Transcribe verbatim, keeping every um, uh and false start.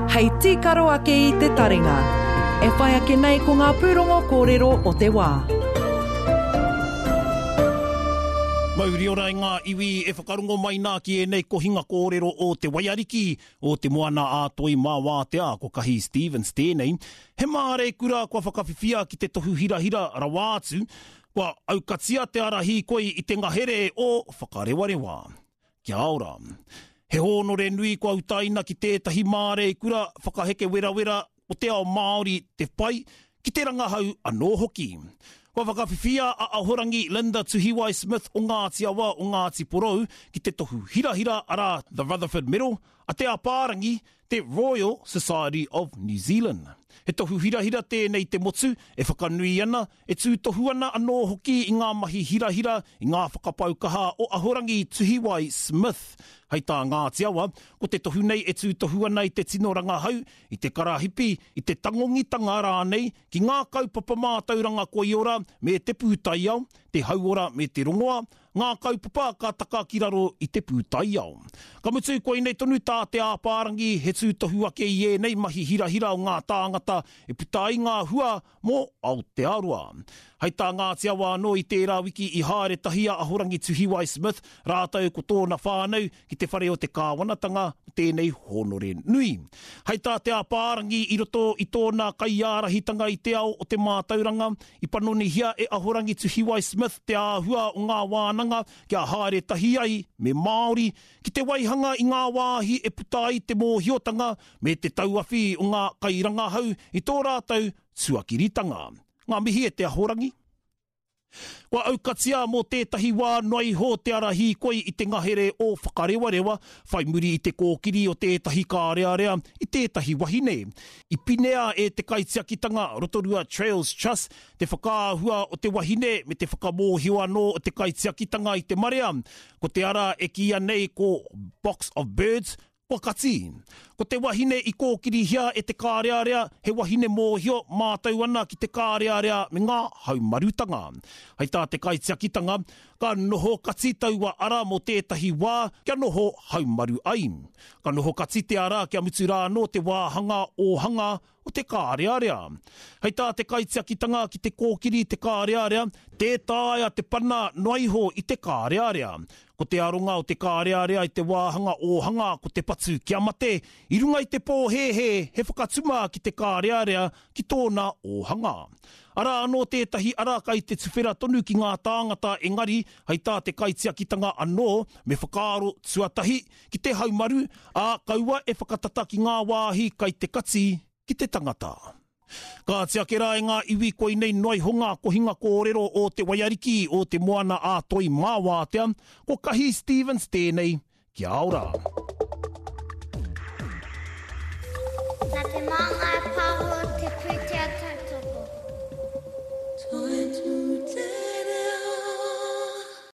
Hei tīkaro ake i te taringa. E whai ake nei ko ngā pūrongo kōrero o te wā. Mauri ora i ngā iwi e whakarongo mai nā ki ēnei kohinga kōrero o te Waiariki, o te Moana a Toi mā Wātea, ko Kahi Stevens tēnei. He māreikura kua whakawhiwhia ki te tohu hirahira rawa atu, kua aukatia te ara hīkoi i te ngahere o Whakarewarewa. Kia ora. He hōnore nui kua utaina ki tētahi māreikura whakaheke werawera o te ao Māori te pai, ki te rangahau anō hoki. Kua whakawhiwhia a Ahorangi Linda Tuhiwai Smith o Ngāti Awa o Ngāti Porou ki te tohu hirahira arā The Rutherford Medal a Te Apārangi, te Royal Society of New Zealand. He tohu hirahira tēnei te motu e whakanui ana, e tūtohu ana anō hoki i ngā mahi hirahira i ngā whakapau kaha o Ahorangi Tuhiwai Smith. Hei tā Ngāti Awa, ko te tohu nei e tūtohu ana i te tino rangahau, i te karahipi, i te tangongitanga rānei ki ngā kaupapa mātauranga koiora me te pūtaiao, te hauora me te rongoa, ngā kaupapa ka taka ki raro i te pūtaiao. Ka mutu koinei tonu tā Te Apārangi he tūtohu ake i ēnei mahi hirahira o ngā tāngata e puta ai ngā hua mō Aotearoa. Hei tā Ngāti Awa anō i tērā wiki i haere tahi a Ahorangi Tuhiwai Smith rātou ko tōna whānau ki te whare o te kāwanatanga o tēnei hōnore nui. Hei tā Te Apārangi i roto i tōna kaiārahitanga i te ao o te mātauranga, i panonihia e Ahorangi Tuhiwai Smith te āhua o ngā wānanga kia haere tahi ai me Māori ki te waihanga i ngā wāhi e puta ai te mōhiotanga me te tauawhi o ngā kairangahau i tō rātou tuakiritanga. Ngā mihi e te Ahorangi. Kua aukatia mō tētahi wā noa iho te ara hīkoi i te ngahere o Whakarewarewa, whai muri i te kōkiri o tētahi kārearea i tētahi wahine. I pinea e te kaitiakitanga Rotorua Trails Trust te whakaahua o te wahine me te whakamōhio anō o te kaitiakitanga i te marea. Ko te ara e kīia nei ko Box of Birds, kua kati. Ko te wahine i kōkirihia e te kārearea, he wahine mōhio mātau ana ki te kārearea me ngā haumarutanga. Hei tā te kaitiakitanga, ka noho kati taua ara mō tētahi wā kia noho haumaru ai. Ka noho kati te ara kia mutu rā anō te wāhanga ōhanga o te kārearea. Hei tā te kaitiakitanga ki te kōkiri te kārearea, tē taea te pana noa iho i te kārearea. Ko te aronga o te kārearea i te wāhanga ōhanga ko te patu kia mate, i runga i te pōhēhē he whakatuma ki te kārearea ki tōna ōhanga. Arā anō tētahi ara kai te tuwhera tonu ki ngā tāngata engari, hei tā te kaitiakitanga anō me whakaaro tuatahi ki te haumaru, ā kaua e whakatata ki ngā wāhi kai te kati ki te tangata. Ka ake rā e ngā iwi koinei noa iho ngā kohinga kōrero o te Waiariki o te Moana a Toi mā Wātea, ko Kahi Stevens tēnei, kia ora. Nā te Māngai